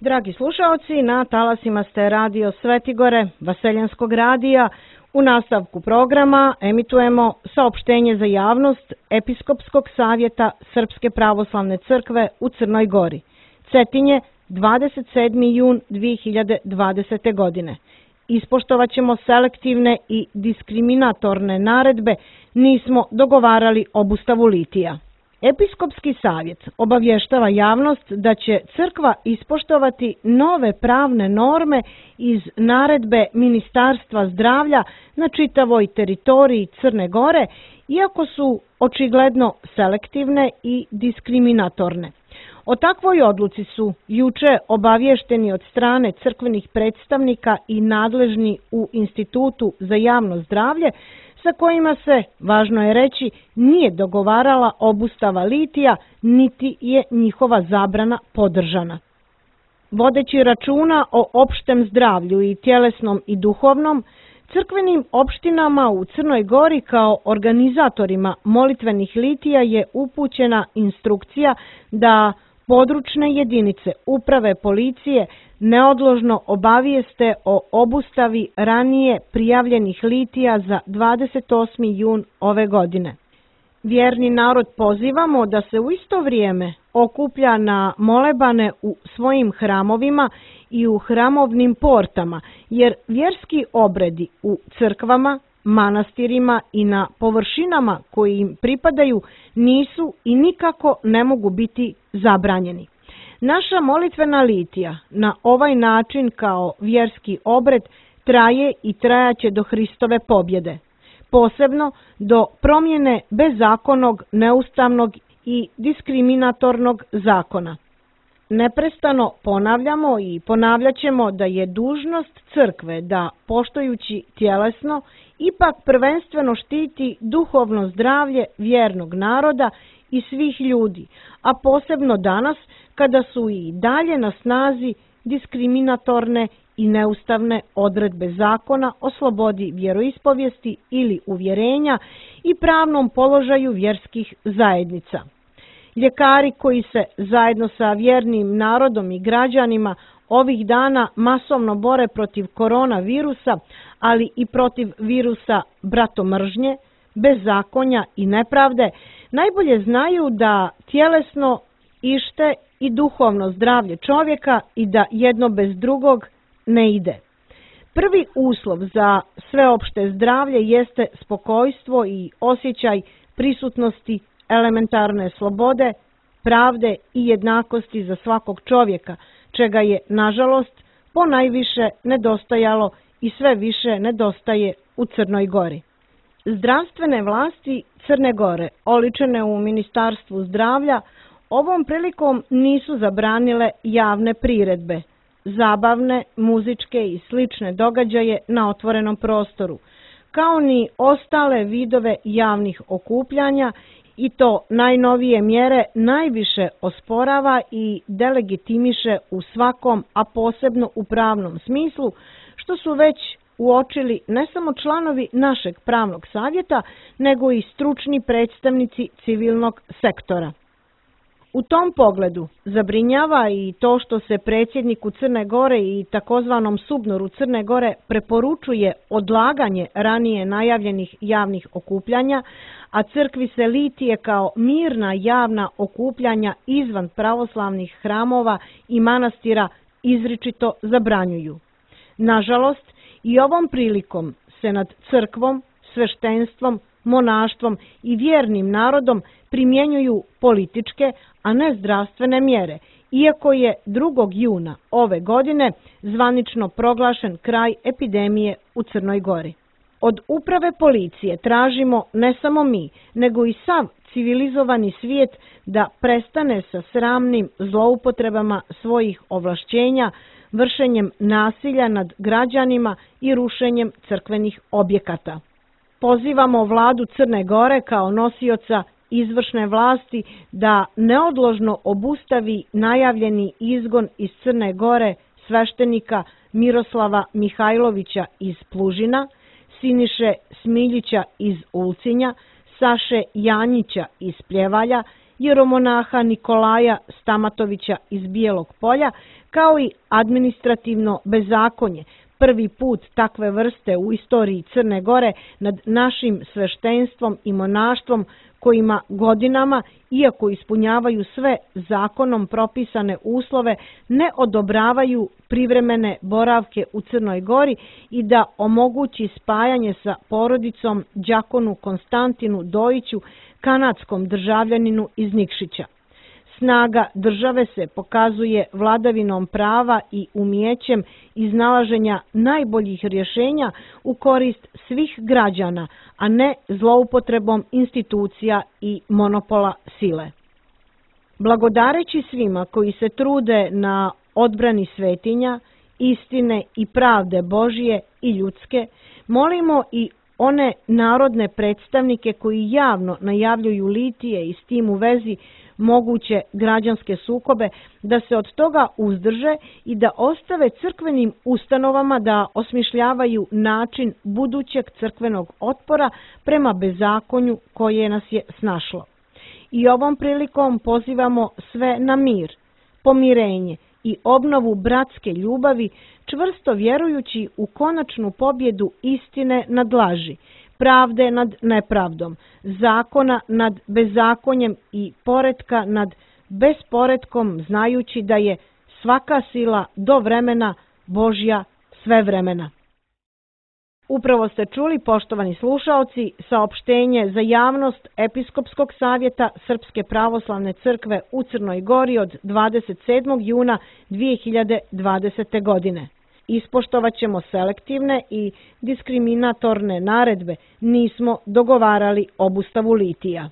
Dragi slušaoci, na talasima ste radio Svetigore, Vaseljanskog radija. U nastavku programa emitujemo saopštenje za javnost Episkopskog savjeta Srpske pravoslavne crkve u Crnoj Gori. Cetinje, 27. jun 2020. godine. Ispoštovat ćemo selektivne i diskriminatorne naredbe, nismo dogovarali obustavu litija. Episkopski savjet obavještava javnost da će crkva ispoštovati nove pravne norme iz naredbe Ministarstva zdravlja na čitavoj teritoriji Crne Gore, iako su očigledno selektivne i diskriminatorne. O takvoj odluci su juče obavješteni od strane crkvenih predstavnika i nadležni u Institutu za javno zdravlje, sa kojima se, važno je reći, nije dogovarala obustava litija, niti je njihova zabrana podržana. Vodeći računa o opštem zdravlju i tjelesnom i duhovnom, crkvenim opštinama u Crnoj Gori kao organizatorima molitvenih litija je upućena instrukcija da područne jedinice uprave policije neodložno obavijeste o obustavi ranije prijavljenih litija za 28. jun ove godine. Vjerni narod pozivamo da se u isto vrijeme okuplja na molebane u svojim hramovima i u hramovnim portama, jer vjerski obredi u crkvama, manastirima i na površinama koji im pripadaju nisu i nikako ne mogu biti zabranjeni. Naša molitvena litija na ovaj način kao vjerski obred traje i trajaće do Hristove pobjede, posebno do promjene bezakonnog, neustavnog i diskriminatornog zakona. Neprestano ponavljamo i ponavljaćemo da je dužnost crkve da, poštujući tjelesno, ipak prvenstveno štiti duhovno zdravlje vjernog naroda i svih ljudi, a posebno danas kada su i dalje na snazi diskriminatorne i neustavne odredbe zakona o slobodi vjeroispovijesti ili uvjerenja i pravnom položaju vjerskih zajednica. Ljekari koji se zajedno sa vjernim narodom i građanima ovih dana masovno bore protiv koronavirusa, ali i protiv virusa bratomržnje, bezakonja i nepravde, najbolje znaju da tjelesno ište i duhovno zdravlje čovjeka i da jedno bez drugog ne ide. Prvi uslov za sveopšte zdravlje jeste spokojstvo i osjećaj prisutnosti elementarne slobode, pravde i jednakosti za svakog čovjeka, čega je, nažalost, ponajviše nedostajalo i sve više nedostaje u Crnoj Gori. Zdravstvene vlasti Crne Gore, oličene u Ministarstvu zdravlja, ovom prilikom nisu zabranile javne priredbe, zabavne, muzičke i slične događaje na otvorenom prostoru, kao ni ostale vidove javnih okupljanja, i to najnovije mjere najviše osporava i delegitimiše u svakom, a posebno u pravnom smislu, što su već uočili ne samo članovi našeg pravnog savjeta, nego i stručni predstavnici civilnog sektora. U tom pogledu zabrinjava i to što se predsjedniku Crne Gore i takozvanom SUBNOR-u Crne Gore preporučuje odlaganje ranije najavljenih javnih okupljanja, a crkvi se litije kao mirna javna okupljanja izvan pravoslavnih hramova i manastira izričito zabranjuju. Nažalost, i ovom prilikom se nad crkvom, sveštenstvom, monaštvom i vjernim narodom primjenjuju političke, a ne zdravstvene mjere, iako je 2. juna ove godine zvanično proglašen kraj epidemije u Crnoj Gori. Od uprave policije tražimo ne samo mi, nego i sav civilizovani svijet da prestane sa sramnim zloupotrebama svojih ovlašćenja, vršenjem nasilja nad građanima i rušenjem crkvenih objekata. Pozivamo vladu Crne Gore kao nosioca izvršne vlasti da neodložno obustavi najavljeni izgon iz Crne Gore sveštenika Miroslava Mihajlovića iz Plužina, Siniše Smiljića iz Ulcinja, Saše Janjića iz Pljevalja, jeromonaha Nikolaja Stamatovića iz Bijelog Polja, kao i administrativno bezakonje, prvi put takve vrste u istoriji Crne Gore nad našim sveštenstvom i monaštvom kojima godinama, iako ispunjavaju sve zakonom propisane uslove, ne odobravaju privremene boravke u Crnoj Gori i da omogući spajanje sa porodicom đakonu Konstantinu Dojiću, kanadskom državljaninu iz Nikšića. Snaga države se pokazuje vladavinom prava i umijećem iznalaženja najboljih rješenja u korist svih građana, a ne zloupotrebom institucija i monopola sile. Blagodareći svima koji se trude na odbrani svetinja, istine i pravde Božije i ljudske, molimo i one narodne predstavnike koji javno najavljuju litije i s tim u vezi moguće građanske sukobe, da se od toga uzdrže i da ostave crkvenim ustanovama da osmišljavaju način budućeg crkvenog otpora prema bezakonju koje nas je snašlo. I ovom prilikom pozivamo sve na mir, pomirenje i obnovu bratske ljubavi, čvrsto vjerujući u konačnu pobjedu istine nad laži, pravde nad nepravdom, zakona nad bezakonjem i poretka nad besporetkom, znajući da je svaka sila do vremena Božja sve vremena. Upravo ste čuli, poštovani slušaoci, saopštenje za javnost Episkopskog savjeta Srpske pravoslavne crkve u Crnoj Gori od 27. juna 2020. godine. Ispoštovat ćemo selektivne i diskriminatorne naredbe, nismo dogovarali obustavu litija.